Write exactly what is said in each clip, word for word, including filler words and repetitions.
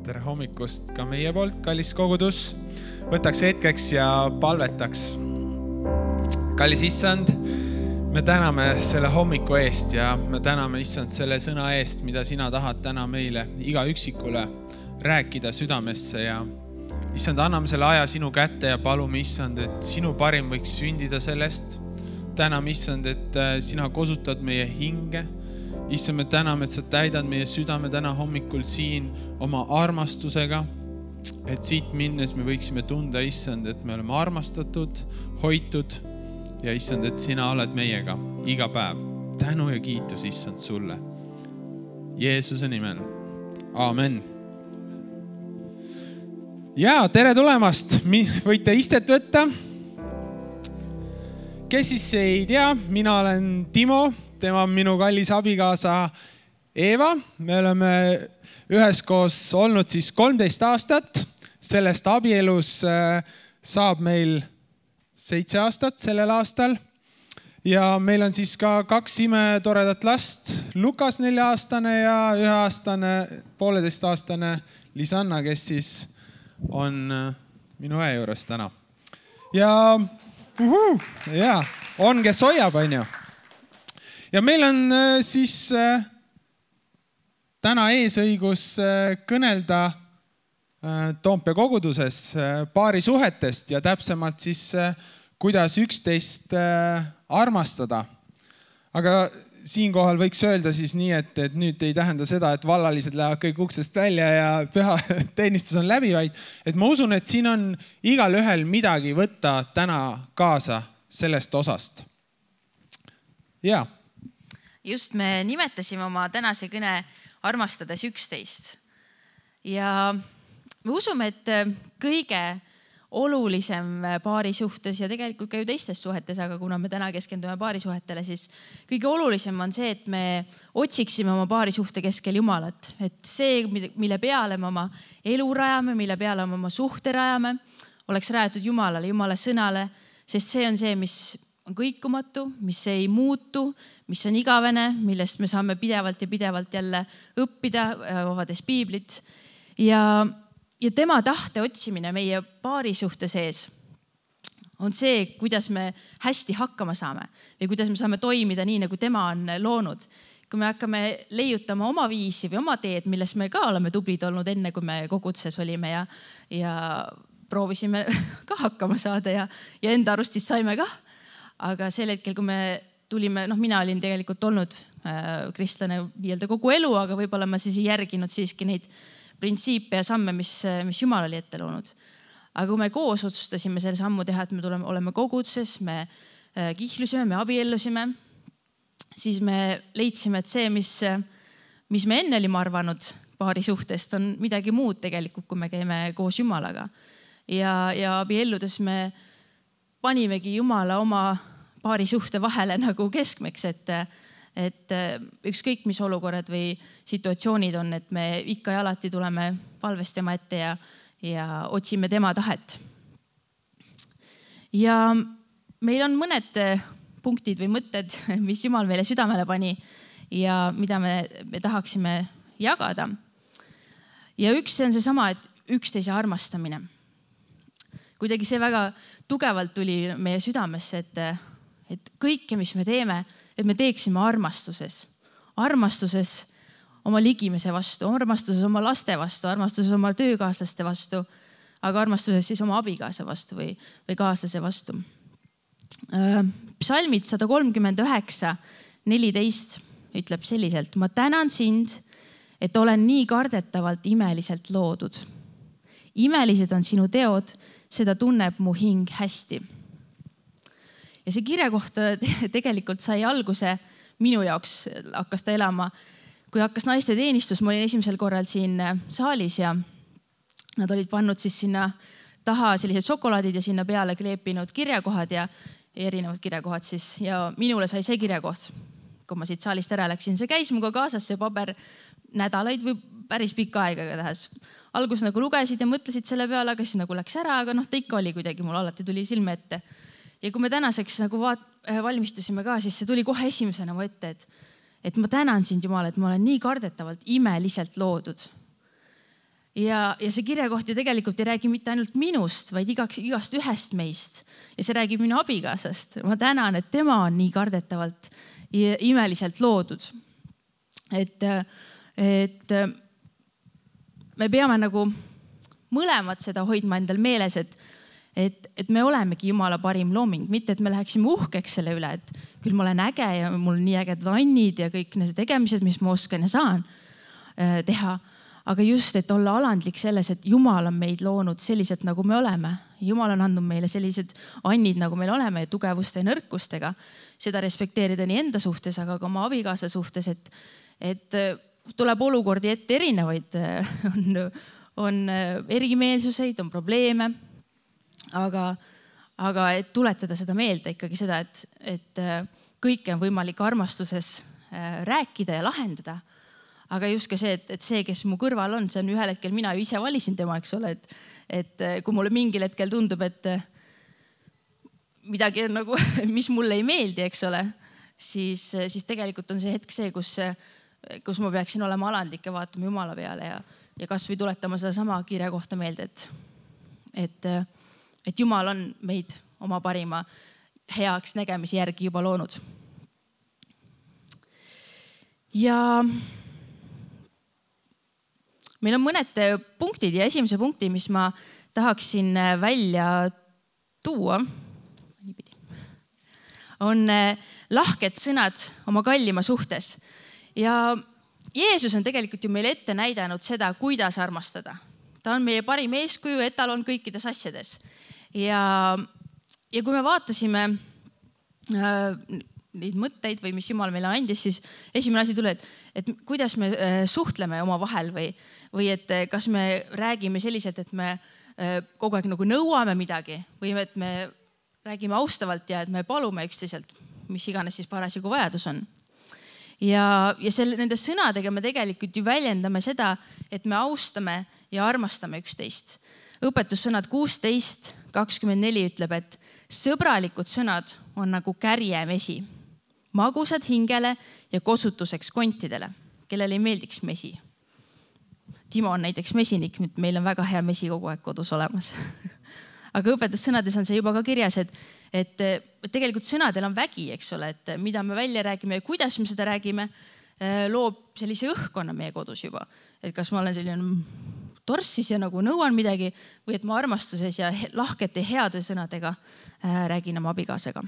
Tere hommikust ka meie poolt, kallis kogudus. Võtaks hetkeks ja palvetaks. Kallis Issand, me täname selle hommiku eest ja me täname Issand selle sõna eest, mida sina tahad täna meile iga üksikule rääkida südamesse. Ja Issand, anname selle aja sinu kätte ja palume Issand, et sinu parim võiks sündida sellest. Täname Issand, et sina kosutad meie hinge. Issand, me täname, et sa täidad meie südame täna hommikul siin oma armastusega, et siit minnes me võiksime tunda, Issand, et me oleme armastatud, hoitud ja Issand, et sina oled meiega iga päev. Tänu ja kiitus, Issand, sulle. Jeesuse nimel. Aamen. Ja, tere tulemast. Võite istet võtta. Kes siis ei tea, mina olen Timo. Tema on minu kallis abikaasa Eeva. Me oleme üheskoos olnud siis kolmteist aastat. Sellest abielus saab meil seitse aastat sellel aastal. Ja meil on siis ka kaks imetoredat last. Lukas nelja-aastane ja üheaastane, pooleteistaastane Lisanna, kes siis on minu õe juures täna. Ja, uhu, ja on, kes hoiab, on ju. Ja meil on siis täna eesõigus kõnelda Toompea koguduses paarisuhetest ja täpsemalt siis, kuidas üksteist armastada. Aga siinkohal võiks öelda siis nii, et, et nüüd ei tähenda seda, et vallalised lähevad kõik uksest välja ja püha teenistus on läbi, vaid et ma usun, et siin on igal ühel midagi võtta täna kaasa sellest osast. Jaa. Just me nimetasime oma tänase kõne armastades üksteist. Ja me usume, et kõige olulisem paari suhtes ja tegelikult ka ju teistes suhetes, aga kuna me täna keskendume paari suhetele, siis kõige olulisem on see, et me otsiksime oma paari suhte keskel Jumalat. Et see, mille peale me oma elu rajame, mille peale me oma suhte rajame, oleks rajatud Jumalale, Jumala sõnale, sest see on see, mis on kõikumatu, mis ei muutu, mis on igavene, millest me saame pidevalt ja pidevalt jälle õppida, avades piiblit. Ja, ja tema tahte otsimine meie paari suhte sees on see, kuidas me hästi hakkama saame või kuidas me saame toimida nii, nagu tema on loonud. Kui me hakkame leiutama oma viisi või oma teed, milles me ka oleme tublid olnud enne, kui me kogudses olime ja, ja proovisime ka hakkama saada ja, ja enda arust siis saime ka. Aga sel hetkel, kui me tulime, noh, mina olin tegelikult olnud äh, kristlane nii-öelda kogu elu, aga võib-olla ma siis ei järginud siiski neid printsiipe ja samme, mis, mis Jumal oli ette loonud. Aga kui me koos otsustasime selle sammu teha, et me tuleme, oleme kogudses, me äh, kihlusime, me abiellusime, siis me leidsime, et see, mis, mis me enne olime arvanud paari suhtest, on midagi muud tegelikult, kui me käime koos Jumalaga. Ja, ja abielludes me panimegi Jumala oma paari suhte vahele nagu keskmeks, et, et ükskõik mis olukorrad või situatsioonid on, et me ikka ja alati tuleme palves tema ette ja, ja otsime tema tahet. Ja meil on mõned punktid või mõtted, mis Jumal meile südamele pani ja mida me, me tahaksime jagada. Ja üks on seesama, et üksteise armastamine. Kuidagi see väga tugevalt tuli meie südamesse, et, et kõike, mis me teeme, et me teeksime armastuses. Armastuses oma ligimise vastu, armastuses oma laste vastu, armastuses oma töökaaslaste vastu, aga armastuses siis oma abikaasa vastu või, või kaaslase vastu. Psalmid sada kolmkümmend üheksa neliteist ütleb selliselt: ma tänan sind, et olen nii kardetavalt imeliselt loodud. Imelised on sinu teod, seda tunneb mu hing hästi. Ja see kirja kohta tegelikult sai alguse minu jaoks, hakkas ta elama, kui hakkas naiste teenistus. Ma olin esimesel korral siin saalis ja nad olid pannud siis sinna taha sellised šokolaadid ja sinna peale kleepinud kirjakohad ja erinevad kirjakohad siis. Ja minule sai see kirjakoht, kui ma siit saalist ära läksin. See käis muga kaasas see paber nädalaid või päris pikka aega igatahes. Algus nagu lugesid ja mõtlesid selle peale, aga siis nagu läks ära, aga noh, ta ikka oli kuidagi, mul alati tuli silme ette. Ja kui me tänaseks nagu vaat, valmistusime ka, siis see tuli kohe esimesena mu ette, et, et ma tänan sind, Jumal, et ma olen nii kardetavalt imeliselt loodud. Ja, ja see kirjakoht ju tegelikult ei räägi mitte ainult minust, vaid igaks, igast ühest meist. Ja see räägib minu abikaasast. Ma tänan, et tema on nii kardetavalt ja imeliselt loodud. Et, et me peame nagu mõlemad seda hoidma endal meeles, et, et, et me olemegi Jumala parim looming. Mitte, et me läheksime uhkeks selle üle, et küll ma olen äge ja mul nii ägedad annid ja kõik need tegemised, mis ma oskan ja saan teha. Aga just, et olla alandlik selles, et Jumal on meid loonud sellised, nagu me oleme. Jumal on andnud meile sellised annid, nagu meil oleme ja tugevuste ja nõrkustega. Seda respekteerida nii enda suhtes, aga ka oma abikaasa suhtes, et, et tuleb olukordi ette erinevaid. On, on erimeelsuseid, on probleeme, aga, aga et tuletada seda meelde ikkagi seda, et, et kõike on võimalik armastuses rääkida ja lahendada. Aga just ka see, et, et see, kes mu kõrval on, see on ühel hetkel, mina ju ise valisin tema, eks ole, et, et kui mulle mingil hetkel tundub, et midagi on nagu, mis mulle ei meeldi, eks ole, siis, siis tegelikult on see hetk see, kus, kus ma peaksin olema alandlik ja vaatama Jumala peale ja, ja kas või tuletama seda sama kirja kohta meelde, et, et, et Jumal on meid oma parima heaks nägemise järgi juba loonud. Ja meil on mõned punktid ja esimese punkti, mis ma tahaksin välja tuua, on lahked sõnad oma kallima suhtes. Ja Jeesus on tegelikult ju meile ette näidanud seda, kuidas armastada. Ta on meie parim eeskuju, etalon kõikides asjades. Ja, ja kui me vaatasime äh, neid mõtteid või mis Jumal meile andis, siis esimene asi tuli, et, et kuidas me suhtleme oma vahel või, või et kas me räägime selliselt, et me kogu aeg nagu nõuame midagi või et me räägime austavalt ja et me palume üksteiselt, mis iganes siis parasjagu vajadus on. Ja, ja selle, nende sõnadega me tegelikult ju väljendame seda, et me austame ja armastame üksteist. Õpetussõnad kuusteist kakskümmend neli ütleb, et sõbralikud sõnad on nagu kärjemesi, magusad hingele ja kosutuseks kontidele, kellel ei meeldiks mesi. Timo on näiteks mesinik, meil on väga hea mesi kogu aeg kodus olemas. Aga õpetussõnades on see juba ka kirjas, et, et tegelikult sõnadel on vägi, eks ole, et mida me välja räägime ja kuidas me seda räägime, loob sellise õhkkonna meie kodus juba. Et kas ma olen selline torssis ja nagu nõuan midagi või et ma armastuses ja lahkete heade sõnadega räägin oma abikaasega.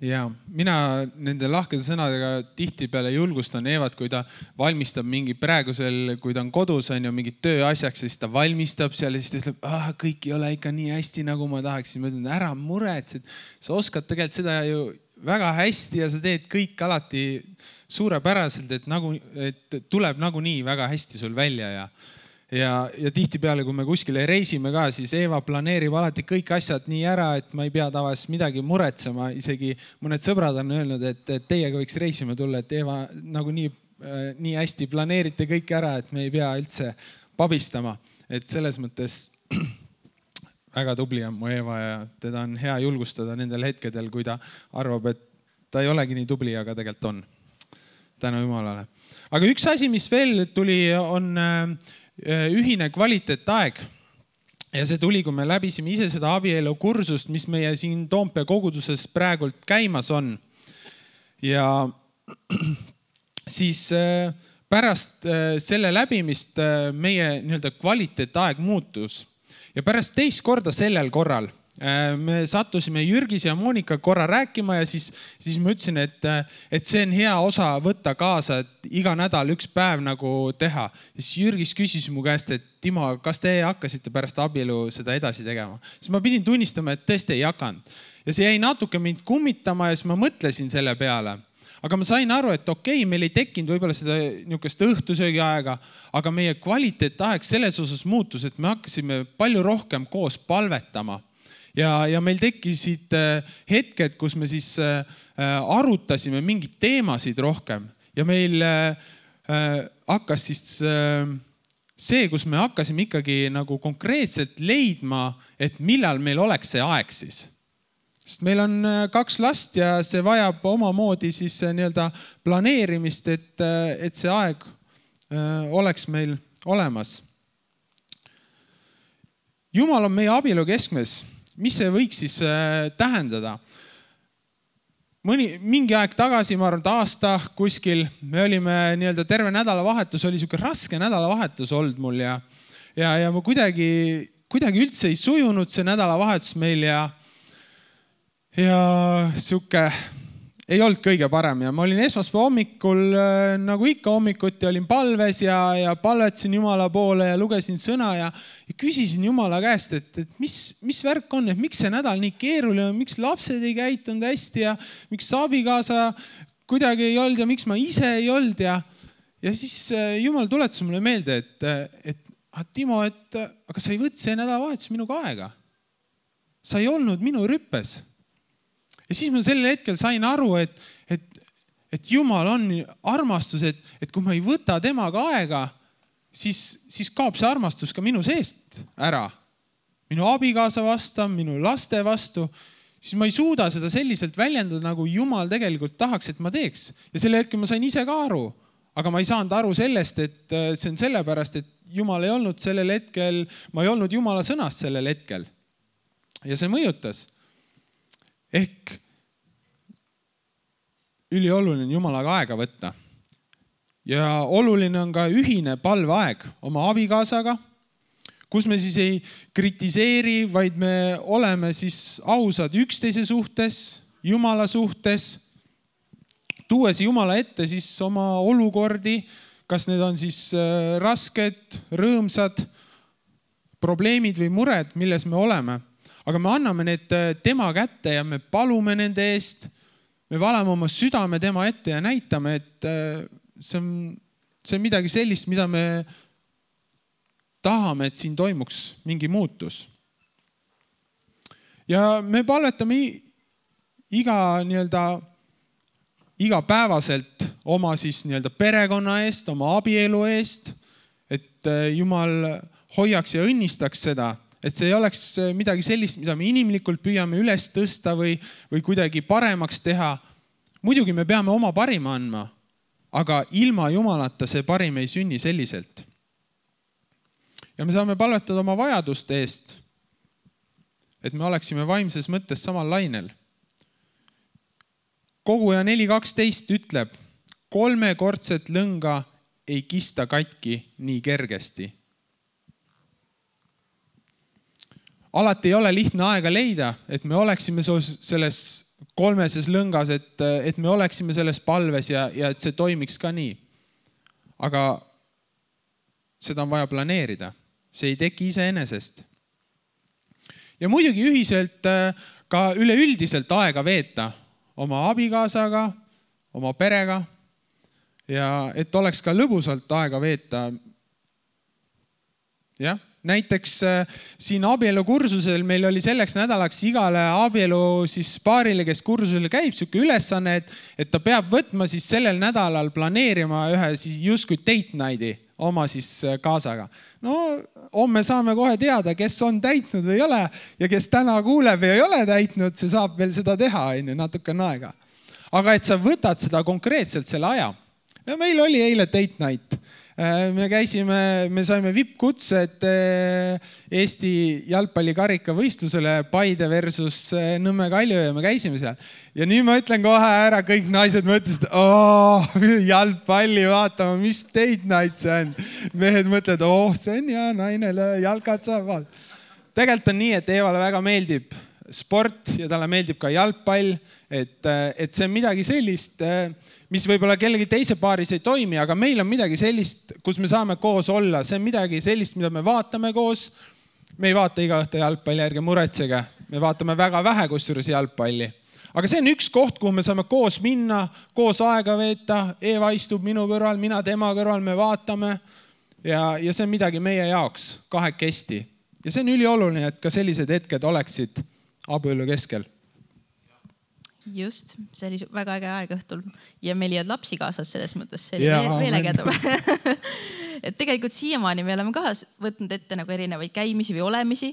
Ja mina nende lahkede sõnadega tihtipeale julgustan Eevat, kui ta valmistab mingi praegusel, kui ta on kodus, on ju mingid tööasjaks, siis ta valmistab seal ja siis ta ütleb, ah, kõik ei ole ikka nii hästi, nagu ma tahaksin. Ma ütlen, ära muretsed, sa oskad tegelikult seda ju väga hästi ja sa teed kõik alati suurepäraselt, et, nagu, et tuleb nagunii väga hästi sul välja ja Ja, ja tihtipeale, kui me kuskile reisime ka, siis Eeva planeerib alati kõik asjad nii ära, et ma ei pea tavaliselt midagi muretsema. Isegi mõned sõbrad on öelnud, et teiega võiks reisima tulla, et Eeva nagu nii, nii hästi planeerite kõik ära, et me ei pea üldse pabistama. Et selles mõttes väga tubli on mu Eeva ja teda on hea julgustada nendel hetkedel, kui ta arvab, et ta ei olegi nii tubli, aga tegelikult on. Tänu Jumalale. Aga üks asi, mis veel tuli, on ühine kvaliteetaeg ja see tuli, kui me läbisime ise seda abielu kursust, mis meie siin Toompea koguduses praegult käimas on. Ja siis pärast selle läbimist meie nii-öelda kvaliteetaeg muutus ja pärast teist korda sellel korral me sattusime Jürgis ja Monika korra rääkima ja siis, siis ma ütlesin, et, et see on hea osa võtta kaasa, et iga nädal üks päev nagu teha. Ja siis Jürgis küsis mu käest, et Timo, kas te hakkasite pärast abielu seda edasi tegema? Siis ma pidin tunnistama, et tõesti ei hakanud. Ja see jäi natuke mind kummitama ja siis ma mõtlesin selle peale. Aga ma sain aru, et okei, meil ei tekkinud võib-olla seda niisugust õhtusöögi aega, aga meie kvaliteetaeg selles osas muutus, et me hakkasime palju rohkem koos palvetama. Ja, ja meil tekkisid hetked, kus me siis arutasime mingid teemasid rohkem ja meil hakkas siis see, kus me hakkasime ikkagi nagu konkreetselt leidma, et millal meil oleks see aeg siis. Sest meil on kaks last ja see vajab omamoodi siis nii-öelda planeerimist, et, et see aeg oleks meil olemas. Jumal on meie abielu keskmes. Mis see võiks siis tähendada? Mõni, mingi aeg tagasi, ma arvan, aasta kuskil, me olime nii-öelda terve nädalavahetus, oli siuke raske nädalavahetus olnud mul ja, ja, ja ma kuidagi, kuidagi üldse ei sujunud see nädalavahetus meil ja, ja siuke ei olnud kõige parem ja ma olin esmaspäeva hommikul, nagu ikka hommikuti, olin palves ja, ja palvetasin Jumala poole ja lugesin sõna ja, ja küsisin Jumala käest, et, et mis, mis värk on, et miks see nädal nii keeruline on, miks lapsed ei käitunud hästi ja miks abikaasa kuidagi ei olnud ja miks ma ise ei olnud ja, ja siis Jumal tuletas mulle meelde, et, et ah, Timo, et aga sa ei võtnud see nädalavahetus minuga aega. Sa ei olnud minu rüppes. Ja siis ma sellel hetkel sain aru, et, et, et Jumal on armastus, et, et kui ma ei võta temaga aega, siis, siis kaob see armastus ka minu seest ära. Minu abikaasa vastu, minu laste vastu, siis ma ei suuda seda selliselt väljendada, nagu Jumal tegelikult tahaks, et ma teeks. Ja sellel hetkel ma sain ise ka aru, aga ma ei saanud aru sellest, et see on sellepärast, et Jumal ei olnud sellel hetkel, ma ei olnud Jumala sõnast sellel hetkel. Ja see mõjutas. Ehk ülioluline on Jumalaga aega võtta. Ja oluline on ka ühine palveaeg oma abikaasaga, kus me siis ei kritiseeri, vaid me oleme siis ausad üksteise suhtes, Jumala suhtes, tuues Jumala ette siis oma olukordi, kas need on siis rasked, rõõmsad, probleemid või mured, milles me oleme. Aga me anname need tema kätte ja me palume nende eest. Me valame oma südame tema ette ja näitame, et see on, see on midagi sellist, mida me tahame, et siin toimuks mingi muutus. Ja me palvetame iga, nii-öelda, igapäevaselt oma siis nii-öelda perekonna eest, oma abielu eest, et Jumal hoiaks ja õnnistaks seda. Et see ei oleks midagi sellist, mida me inimlikult püüame üles tõsta või, või kuidagi paremaks teha. Muidugi me peame oma parima andma, aga ilma Jumalata see parim ei sünni selliselt. Ja me saame palvetada oma vajaduste eest, et me oleksime vaimses mõttes samal lainel. Koguja neli kaksteist ütleb, kolmekordset lõnga ei kista katki nii kergesti. Alati ei ole lihtne aega leida, et me oleksime selles kolmeses lõngas, et, et me oleksime selles palves ja, ja et see toimiks ka nii. Aga seda on vaja planeerida. See ei teki iseenesest. Ja muidugi ühiselt ka üleüldiselt aega veeta oma abikaasaga, oma perega ja et oleks ka lõbusalt aega veeta. Jah. Näiteks siin abielu kursusel meil oli selleks nädalaks igale abielu siis paarile, kes kursusel käib, siuke ülesanne, et, et ta peab võtma siis sellel nädalal planeerima ühe siis justkui date night'i oma siis kaasaga. No, homme saame kohe teada, kes on täitnud või ei ole ja kes täna kuuleb või ei ole täitnud, see saab veel seda teha, natukene aega. Aga et sa võtad seda konkreetselt selle aja. Ja meil oli eile date night. Me käisime, me saime V I P-kutsed Eesti jalgpallikarika võistlusele Paide versus Nõmme Kalju ja me käisime seal. Ja nüüd ma ütlen kohe ära, kõik naised mõtlesid, oh, jalgpalli vaatama, mis date night see on. Mehed mõtlevad, oh, see on ja nainele jalkad saab. Tegelikult on nii, et Eevale väga meeldib sport ja talle meeldib ka jalgpall, et, et see on midagi sellist, mis võib-olla kellegi teise paaris ei toimi, aga meil on midagi sellist, kus me saame koos olla. See on midagi sellist, mida me vaatame koos. Me ei vaata iga õhtu jalgpalli, ärge muretsege. Me vaatame väga vähe kusjuures jalgpalli. Aga see on üks koht, kuhu me saame koos minna, koos aega veeta. Eeva istub minu kõrval, mina tema kõrval, me vaatame. Ja, ja see on midagi meie jaoks kahekesti. Ja see on ülioluline, et ka sellised hetked oleksid abielu keskel. Just, see oli väga äge aeg õhtul ja meil ei olnud lapsi kaasas selles mõttes, see oli ja, veel ägedam. Et tegelikult siiamaani me oleme ka võtnud ette nagu erinevaid käimisi või olemisi,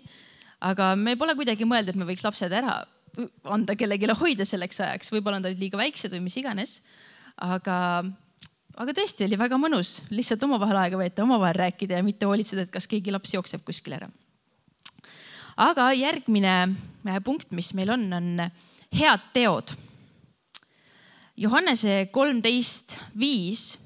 aga me pole kuidagi mõelda, et me võiks lapsed ära anda kellegile hoida selleks ajaks. Võib-olla nad olid liiga väiksed või mis iganes, aga, aga tõesti oli väga mõnus lihtsalt omavahel aega veeta, omavahel rääkida ja mitte hoolitseda, et kas keegi laps jookseb kuskil ära. aga järgmine punkt, mis meil on, on head teod. Johannese kolmteist viis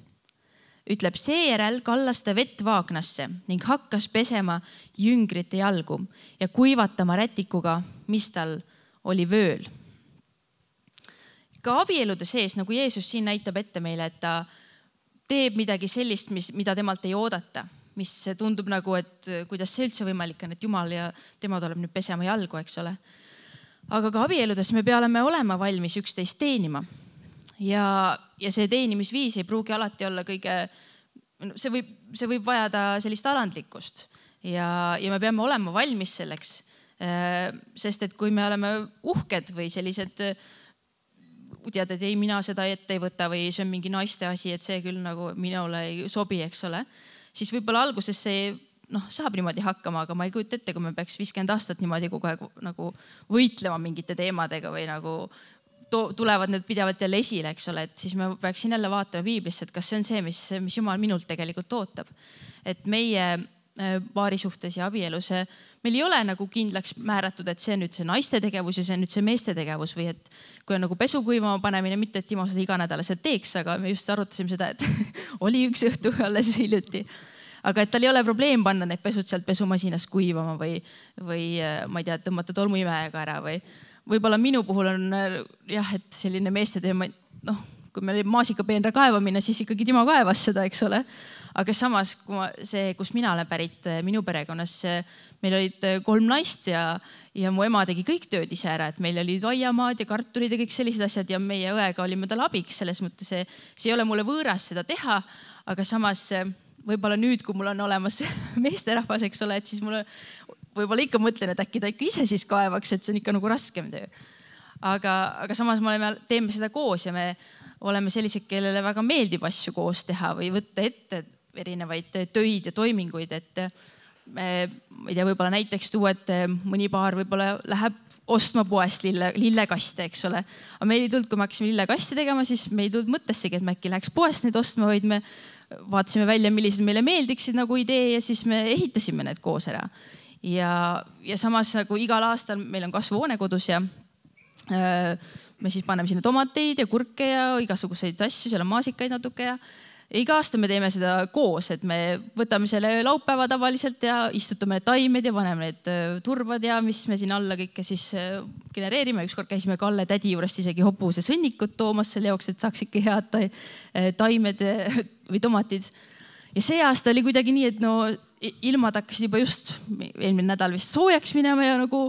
ütleb, seejärel kallas ta vett vaagnasse ning hakkas pesema jüngrite jalgu ja kuivatama rätikuga, mis tal oli vööl. Ka abielude sees, nagu Jeesus siin näitab ette meile, et ta teeb midagi sellist, mis, mida temalt ei oodata, mis tundub nagu, et kuidas see üldse võimalik on, et Jumal ja tema tuleb nüüd pesema jalgu, eks ole. Aga ka abieludes me peame olema valmis üksteist teenima. Ja, ja see teenimisviis ei pruugi alati olla kõige, see võib, see võib vajada sellist alandlikkust ja, ja me peame olema valmis selleks, sest et kui me oleme uhked või sellised, tead, et ei, mina seda ette ei võta või see on mingi naiste asi, et see küll nagu minule ei sobi, eks ole, siis võib-olla alguses see noh, saab niimoodi hakkama, aga ma ei kujuta ette, kui me peaks viiskümmend aastat niimoodi kogu aeg nagu võitlema mingite teemadega või nagu tulevad need pidevalt jälle esile, eks ole, et siis me peaksin jälle vaatama piiblisse, et kas see on see, mis, mis Jumal minult tegelikult ootab. Et meie paari suhtes ja abielus, meil ei ole nagu kindlaks määratud, et see on nüüd see naiste tegevus ja see on nüüd see meeste tegevus või et kui on nagu pesu kuivama panemine, mitte et Timo seda iganädalaselt teeks, aga me just arutasime seda, et oli üks õhtu alles hiljuti. Aga et tal ei ole probleem panna need pesud sealt pesumasinas kuivama või, või ma ei tea, tõmmata tolmuimejaga ära või võib-olla minu puhul on jah, et selline meeste teema, noh, kui meil oli maasikapeenra kaevamine, siis ikkagi Timo kaevas seda, eks ole. Aga samas, kui ma, see, kus mina olen pärit minu perekonnas, meil olid kolm naist ja, ja mu ema tegi kõik tööd ise ära, et meil olid aiamaad ja kartulid ja kõik sellised asjad ja meie õega olime tal abiks. Selles mõttes see, see ei ole mulle võõras seda teha, aga samas võib-olla nüüd, kui mul on olemas meesterahvas, eks ole, et siis mulle võib-olla ikka mõtlen, et äkki ta ikka ise siis kaevaks, et see on ikka nagu raskem töö. Aga, aga samas me oleme, teeme seda koos ja me oleme sellised, kellele väga meeldib asju koos teha või võtta ette erinevaid töid ja toiminguid, et me, ma ei tea, võib-olla näiteks tuua, et mõni paar võib-olla läheb ostma poest lille, lillekaste, eks ole. Aga meil ei tulnud, kui me hakkasime lillekaste tegema, siis me ei tulnud mõttessegi, et me äkki läheks poest neid ostma, vaid me vaatasime välja, millised meile meeldiksid nagu idee ja siis me ehitasime need koos ära. Ja, ja samas nagu igal aastal meil on kasvuhoone kodus ja äh, me siis paneme sinna tomateid ja kurke ja igasuguseid asju, seal on maasikaid natuke ja, ja iga aasta me teeme seda koos, et me võtame selle laupäeva tavaliselt ja istutame need taimed ja paneme need turvad ja mis me siin alla kõike siis genereerime. Ükskord käisime Kalle tädi juurest isegi hobuse sõnnikut toomas selle jaoks, et saaks ikka head taimed või tomatid. Ja see aasta oli kuidagi nii, et no ilmad hakkasid juba just eelmine nädal vist soojaks minema ja nagu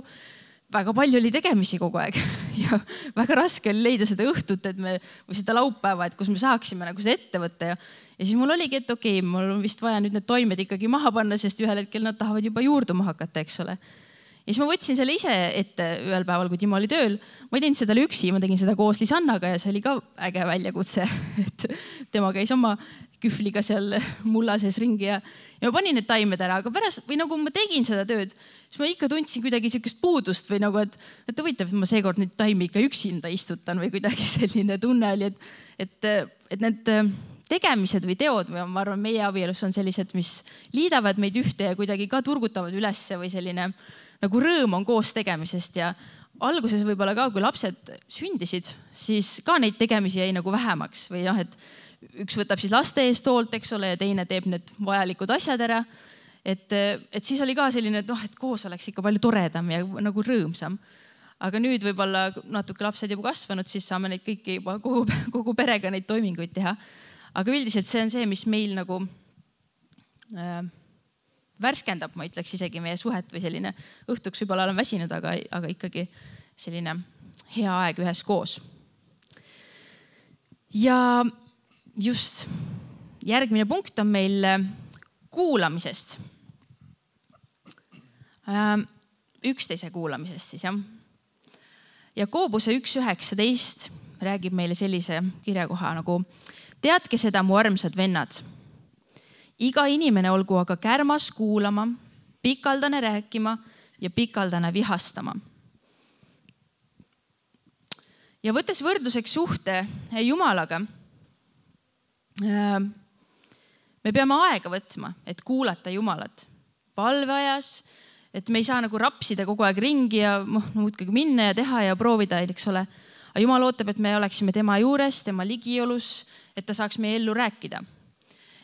väga palju oli tegemisi kogu aeg ja väga raske oli leida seda õhtut, et me, või seda laupäeva, et kus me saaksime nagu seda ette võtta ja, ja siis mul oligi, et okei, okay, mul on vist vaja nüüd need toimed ikkagi maha panna, sest ühel hetkel nad tahavad juba juurduma hakata, eks ole. Ja siis ma võtsin selle ise ette ühel päeval, kui Timo oli tööl. Ma ei teinud seda üksi, ma tegin seda koos Lisannaga ja see oli ka äge väljakutse, et tema käis oma kühvliga seal mulla sees ringi ja, ja ma panin need taimed ära, aga pärast või nagu ma tegin seda tööd, siis ma ikka tundsin kuidagi sihukest puudust või nagu, et, et huvitav, et ma seekord nüüd taimi ikka üksinda istutan või kuidagi selline tunne oli, et, et, et need tegemised või teod või ma arvan, meie abielus on sellised, mis liidavad meid ühte ja kuidagi ka turgutavad ülesse või selline nagu rõõm on koos tegemisest ja alguses võib-olla ka, kui lapsed sündisid, siis ka neid tegemisi jäi nagu vähemaks või jah, et üks võtab siis laste eest hoolt, eks ole, ja teine teeb need vajalikud asjad ära. Et, et siis oli ka selline, et, noh, et koos oleks ikka palju toredam ja nagu rõõmsam. Aga nüüd võib-olla natuke lapsed juba kasvanud, siis saame neid kõiki juba kogu, kogu perega neid toiminguid teha. Aga üldiselt see on see, mis meil nagu äh, värskendab, ma ütleks isegi meie suhet või selline õhtuks võib-olla olen väsinud, aga, aga ikkagi selline hea aeg ühes koos. Ja just järgmine punkt on meil kuulamisest. Üksteise kuulamisest siis, jah. Jakoobuse üks üheksateist räägib meile sellise kirjakoha nagu teadke seda, mu armsad vennad. Iga inimene olgu aga kärmas kuulama, pikaldane rääkima ja pikaldane vihastama. Ja võttes võrdluseks suhte Jumalaga, me peame aega võtma, et kuulata Jumalat palveajas, et me ei saa nagu rapsida kogu aeg ringi ja noh, muudkui minna ja teha ja proovida, eks ole. Aga Jumal ootab, et me oleksime tema juures, tema ligiolus, et ta saaks meie ellu rääkida.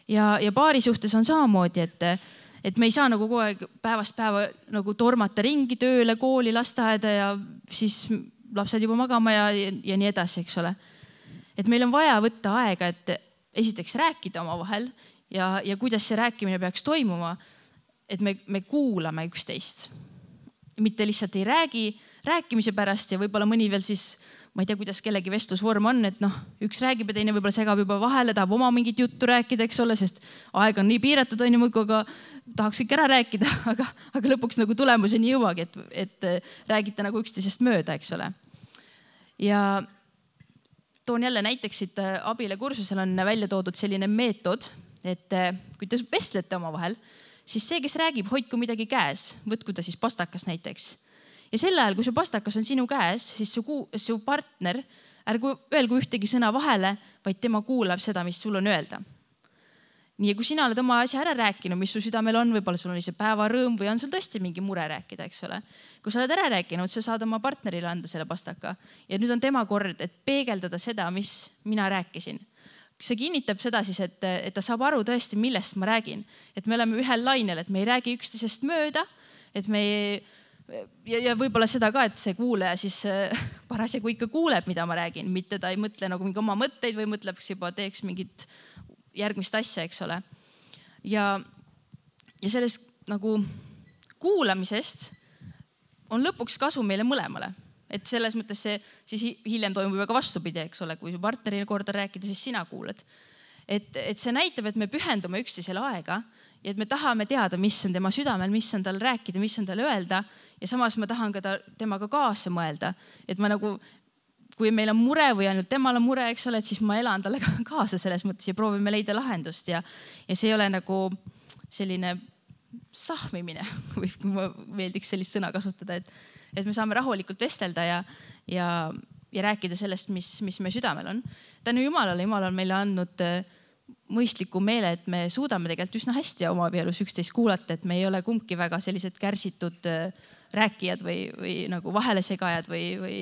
Ja, ja paari suhtes on samamoodi, et, et me ei saa nagu kogu aeg päevast päeva nagu tormata ringi tööle, kooli, lasteaeda ja siis lapsed juba magama ja, ja, ja nii edasi, eks ole. Et meil on vaja võtta aega, et esiteks rääkida omavahel ja, ja kuidas see rääkimine peaks toimuma, et me, me kuulame üksteist. Mitte lihtsalt ei räägi rääkimise pärast ja võib-olla mõni veel siis, ma ei tea, kuidas kellegi vestlusvorm on, et noh, üks räägib ja teine võib-olla segab juba vahele, tahab oma mingit juttu rääkida, eks ole, sest aeg on nii piiratud, on ju muidu, aga tahaks ikka ära rääkida, aga, aga lõpuks nagu tulemuseni jõuagi, et, et räägite nagu üksteisest mööda, eks ole. Ja toon jälle näiteks siit abile kursusel on välja toodud selline meetod, et kui te vestlete omavahel, siis see, kes räägib, hoidku midagi käes, võtku ta siis pastakas näiteks. Ja sel ajal, kui su pastakas on sinu käes, siis su, su partner, ärgu öelgu ühtegi sõna vahele, vaid tema kuulab seda, mis sul on öelda. Nii, kui sina oled oma asja ära rääkinud, mis su südamel on, võib-olla sul on ise päevarõõm või on sul tõesti mingi mure rääkida, eks ole. Kui sa oled ära rääkinud, sa saad oma partnerile anda selle pastaka. Ja nüüd on tema kord, et peegeldada seda, mis mina rääkisin. See kinnitab seda siis, et, et ta saab aru tõesti, millest ma räägin. Et me oleme ühel lainel, et me ei räägi üksteisest mööda, et me ei, ja, ja võib-olla seda ka, et see kuulaja siis parasjagu ikka kuuleb, mida ma räägin, mitte ta ei mõtle nagu mingi oma mõtteid või mõtleb, kas juba teeks mingit järgmist asja, eks ole. Ja, ja sellest nagu kuulamisest on lõpuks kasu meile mõlemale. Et selles mõttes see siis hiljem toimub väga vastupidi, eks ole, kui partneril korda rääkida, siis sina kuulad. Et, et see näitab, et me pühendume üksteisele aega ja et me tahame teada, mis on tema südamel, mis on tal rääkida, mis on tal öelda ja samas ma tahan ka ta, temaga kaasa mõelda. Et ma nagu, kui meil on mure või ainult temal on mure, eks ole, et siis ma elan talle kaasa selles mõttes ja proovime leida lahendust ja, ja see ei ole nagu selline sahmimine või ma meeldiks sellist sõna kasutada, et et me saame rahulikult vestelda ja, ja, ja rääkida sellest, mis, mis me südamel on. Tänu Jumalale, Jumal on meile andnud mõistliku meele, et me suudame tegelikult üsna hästi oma abielus üksteist kuulata, et me ei ole kumbki väga sellised kärsitud rääkijad või, või nagu vahelesegajad või, või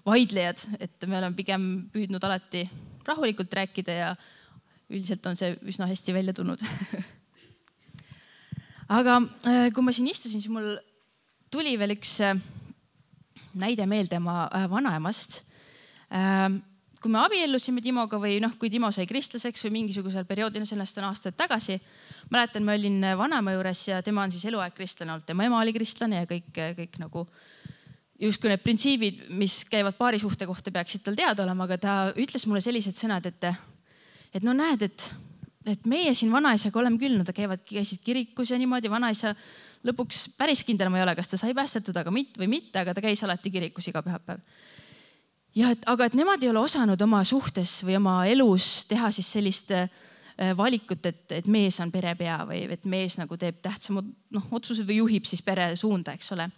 vaidlejad, et me oleme pigem püüdnud alati rahulikult rääkida ja üldiselt on see üsna hästi välja tulnud. Aga kui ma siin istusin, siis mul tuli veel üks näide meelde oma vanaemast. Kui me abiellusime Timoga või noh, kui Timo sai kristlaseks või mingisugusel perioodil, sellest on aastaid tagasi, mäletan, ma olin vanaema juures ja tema on siis eluaeg kristlane olnud. Tema ema oli kristlane ja kõik, kõik nagu justkui need printsiibid, mis käivad paari suhte kohta, peaksid tal teada olema, aga ta ütles mulle sellised sõnad, et, et no näed, et, et meie siin vanaisaga oleme küll, no ta käivad, käisid kirikus ja niimoodi vanaisa lõpuks päris kindel ma ei ole, kas ta sai päästetud aga mit, või mitte, aga ta käis alati kirikus iga pühapäev. Ja, et, aga et nemad ei ole osanud oma suhtes või oma elus teha siis sellist valikut, et, et mees on perepea või et mees nagu teeb tähtsamad no, otsused või juhib siis pere suunda, eks ole.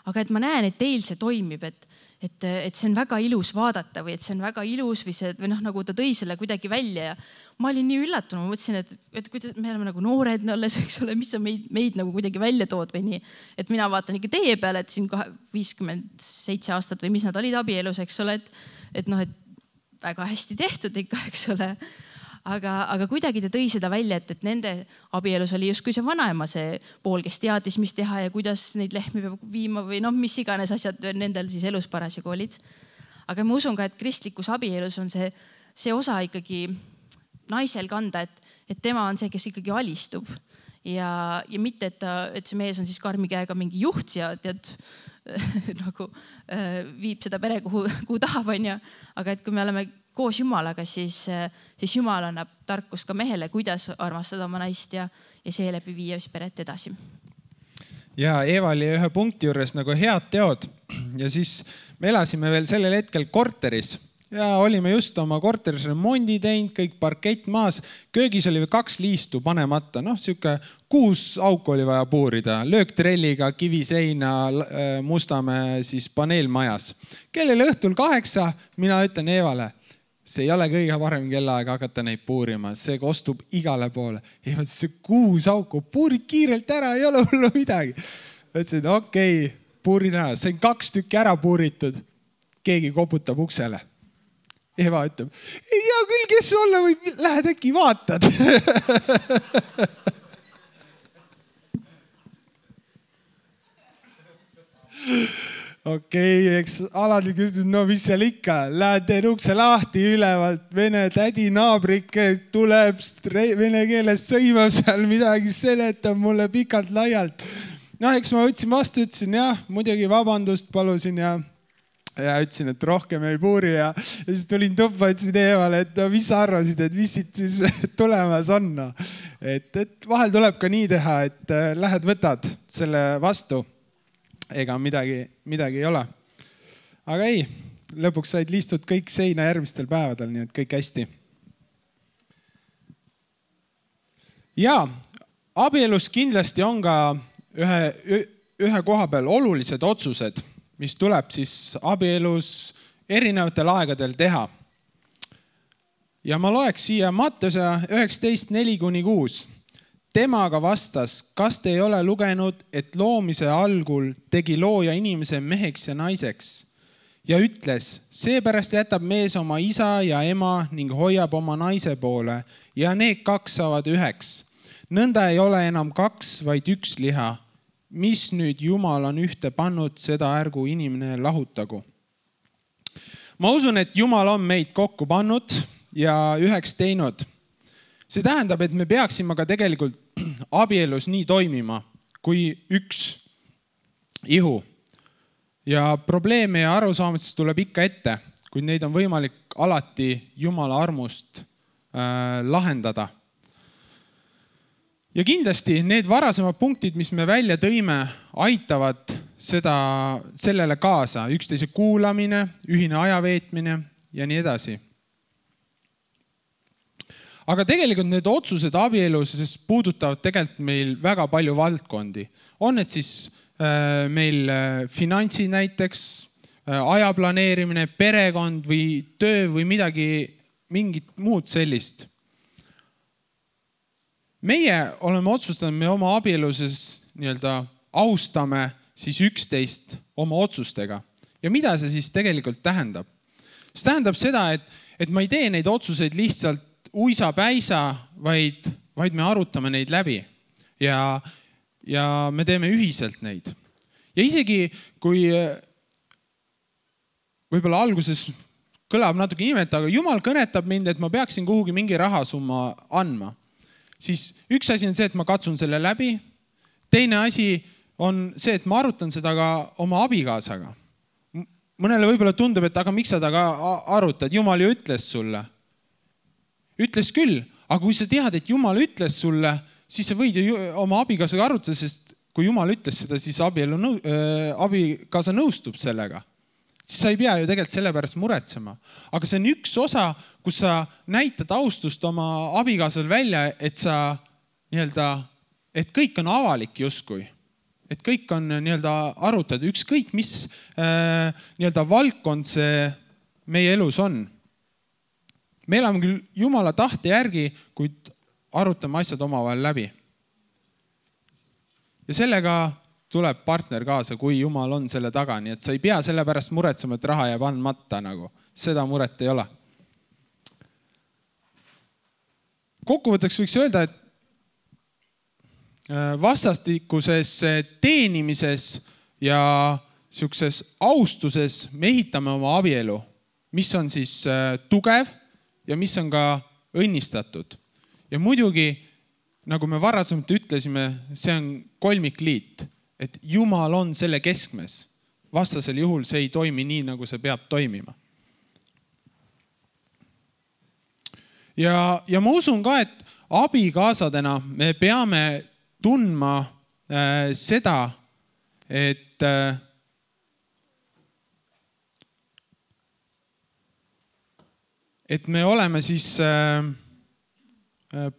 Aga et ma näen, et teil see toimib, et, et, et see on väga ilus vaadata või et see on väga ilus või, see, või noh, nagu ta tõi selle kuidagi välja ja ma olin nii üllatunud, ma mõtlesin, et, et kuidas me oleme nagu noored olles, eks ole, mis sa meid, meid nagu kuidagi välja tood või nii. Et mina vaatan ikka teie peale, et siin viiskümmend seitse aastat või mis nad olid abielus, eks ole, et, et noh, et väga hästi tehtud ikka, eks ole. Aga, aga kuidagi ta tõi seda välja, et, et nende abielus oli justkui see vanaema see pool, kes teadis, mis teha ja kuidas neid lehmi peab viima või noh, mis iganes asjad nendel siis elus parasjagu olid. Aga ma usun ka, et kristlikus abielus on see, see osa ikkagi naisel kanda, et, et tema on see, kes ikkagi alistub ja, ja mitte, et, ta, et see mees on siis karmi käega mingi juht ja tead, nagu äh, viib seda pere, kuhu, kuhu tahab, on ju. Aga et kui me oleme koos Jumalaga, siis, siis Jumal annab tarkust ka mehele, kuidas armastada oma naist ja, ja seeläbi viia siis peret edasi. Ja Eeva oli ühe punkti juures nagu head teod ja siis me elasime veel sellel hetkel korteris ja olime just oma korteris remondi teinud, kõik parkett maas. Köögis oli kaks liistu panemata, noh, siuke kuus auku oli vaja puurida, lööktrelliga, kiviseina, Mustamäe siis paneelmajas. Kellel õhtul kaheksa, mina ütlen Eevale, see ei ole kõige parem kellaaeg hakata neid puurima, see kostub igale poole. Eeva, see kuus auku, puurid kiirelt ära, ei ole hullu midagi. Ütlesin, okei, okay, puurin ära. Sain kaks tükki ära puuritud. Keegi koputab uksele. Eva ütleb, ei tea küll, kes olla või, lähed äkki vaatad. Okei, okay, eks alati küsib, no mis seal ikka, lähed teen ukse lahti ülevalt, vene tädi naabrik tuleb vene keeles sõimab seal midagi, seletab mulle pikalt laialt. No eks ma võtsin vastu, ütlesin jah, muidugi vabandust palusin ja, ja ütlesin, et rohkem ei puuri ja, ja siis tulin tuppa, ütlesin Eevale, et no, mis sa arvasid, et mis siit siis tulemas on. No. Et, et vahel tuleb ka nii teha, et lähed võtad selle vastu. Ega midagi, midagi ei ole. Aga ei, lõpuks said liistud kõik seina järgmistel päevadel, nii et kõik hästi. Ja abielus kindlasti on ka ühe, ühe koha peal olulised otsused, mis tuleb siis abielus erinevatel aegadel teha. Ja ma loeks siia Mattuse üheksateist neli kuni kuus. Temaga vastas, kas te ei ole lugenud, et loomise algul tegi looja inimese meheks ja naiseks ja ütles, seepärast jätab mees oma isa ja ema ning hoiab oma naise poole ja need kaks saavad üheks. Nõnda ei ole enam kaks, vaid üks liha. Mis nüüd Jumal on ühte pannud, seda ärgu inimene lahutagu. Ma usun, et Jumal on meid kokku pannud ja üheks teinud. See tähendab, et me peaksime ka tegelikult abielus nii toimima kui üks ihu. Ja probleeme ja arusaamisest tuleb ikka ette, kuid neid on võimalik alati Jumala armust äh, lahendada. Ja kindlasti need varasemad punktid, mis me välja tõime, aitavad seda, sellele kaasa. Üksteise kuulamine, ühine ajaveetmine ja nii edasi. Aga tegelikult need otsused abielus puudutavad tegelikult meil väga palju valdkondi. On need siis äh, meil finantsid näiteks, äh, aja planeerimine, perekond või töö või midagi, mingit muud sellist. Meie oleme otsustanud, me oma abieluses nii-öelda austame siis üksteist oma otsustega. Ja mida see siis tegelikult tähendab? See tähendab seda, et, et ma ei tee neid otsuseid lihtsalt uisa päisa, vaid, vaid me arutame neid läbi ja, ja me teeme ühiselt neid. Ja isegi kui võib-olla alguses kõlab natuke imet, aga Jumal kõnetab mind, et ma peaksin kuhugi mingi rahasumma andma, siis üks asi on see, et ma katsun selle läbi. Teine asi on see, et ma arutan seda ka oma abikaasaga. Mõnele võib-olla tundub, et aga miks sa ta ka arutad? Jumal ju ütles sulle. Ütles küll, aga kui sa tead, et Jumal ütles sulle, siis sa võid ju oma abikaasaga arutada, sest kui Jumal ütles seda, siis abielu nõu, äh, abikaasa nõustub sellega. Siis sa ei pea ju tegelikult selle pärast muretsema. Aga see on üks osa, kus sa näitad austust oma abikaasal välja, et sa nii-öelda, et kõik on avalik justkui. Et kõik on nii-öelda arutad, ükskõik mis äh, nii-öelda valdkond see meie elus on. Me elame küll Jumala tahte järgi, kuid arutame asjad omavahel läbi. Ja sellega tuleb partner kaasa, kui Jumal on selle taga. Nii et sa ei pea selle pärast muretsema, et raha jääb andmata. Nagu. Seda muret ei ole. Kokkuvõtteks võiks öelda, et vastastikuses teenimises ja siukses austuses me ehitame oma abielu, mis on siis tugev ja mis on ka õnnistatud. Ja muidugi, nagu me varasemalt ütlesime, see on kolmikliit, et Jumal on selle keskmes. Vastasel juhul see ei toimi nii, nagu see peab toimima. Ja, ja ma usun ka, et abikaasadena me peame tundma äh, seda, et äh, et me oleme siis äh,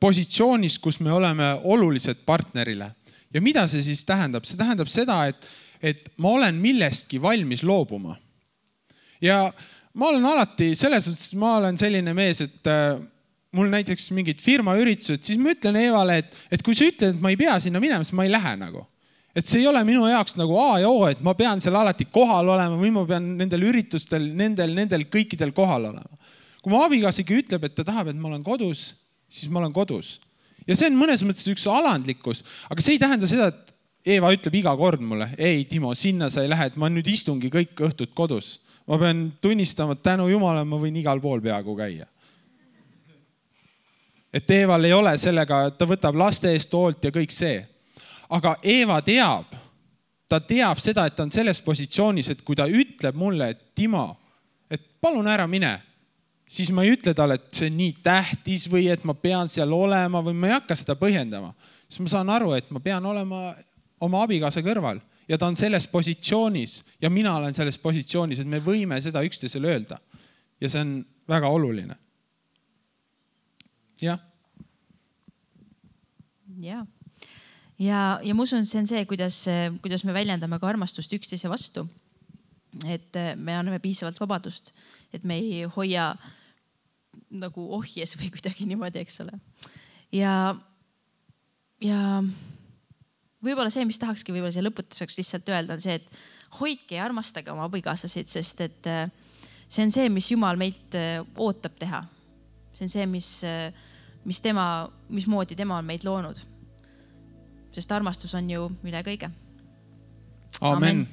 positsioonis, kus me oleme olulised partnerile. Ja mida see siis tähendab? See tähendab seda, et, et ma olen millestki valmis loobuma. Ja ma olen alati, selles mõttes, ma olen selline mees, et äh, mul näiteks mingid firma üritused, siis ma ütlen Eevale, et, et kui sa ütled, et ma ei pea sinna minema, siis ma ei lähe nagu. Et see ei ole minu jaoks nagu A ja O, et ma pean seal alati kohal olema või ma pean nendel üritustel, nendel, nendel kõikidel kohal olema. Kui mu abikaasigi ütleb, et ta tahab, et ma olen kodus, siis ma olen kodus. Ja see on mõnes mõttes üks alandlikkus, aga see ei tähenda seda, et Eeva ütleb iga kord mulle, ei Timo, sinna sa ei lähe, et ma nüüd istungi kõik õhtut kodus. Ma pean tunnistama, et tänu Jumala ma võin igal pool peaaegu käia. Et Eeval ei ole sellega, ta võtab laste eest hoolt ja kõik see. Aga Eeva teab, ta teab seda, et ta on selles positsioonis, et kui ta ütleb mulle, et Timo, et palun ära mine, siis ma ei ütle talle, et see on nii tähtis või et ma pean seal olema või ma ei hakka seda põhjendama. Siis ma saan aru, et ma pean olema oma abikaasa kõrval ja ta on selles positsioonis ja mina olen selles positsioonis, et me võime seda üksteisele öelda. Ja see on väga oluline. Jah. Jah. Ja, ja ma usun, see on see, kuidas, kuidas me väljendame ka armastust üksteise vastu. Et me anname piisavalt vabadust, et me ei hoia nagu ohjes või kuidagi niimoodi, eks ole. Ja, ja võib-olla see, mis tahakski võib-olla see lõputuseks lihtsalt öelda, on see, et hoidke ja armastage oma abikaasasid, sest et see on see, mis Jumal meilt ootab teha. See on see, mis, mis, tema, mis moodi tema on meid loonud. Sest armastus on ju üle kõige. Amen. Amen.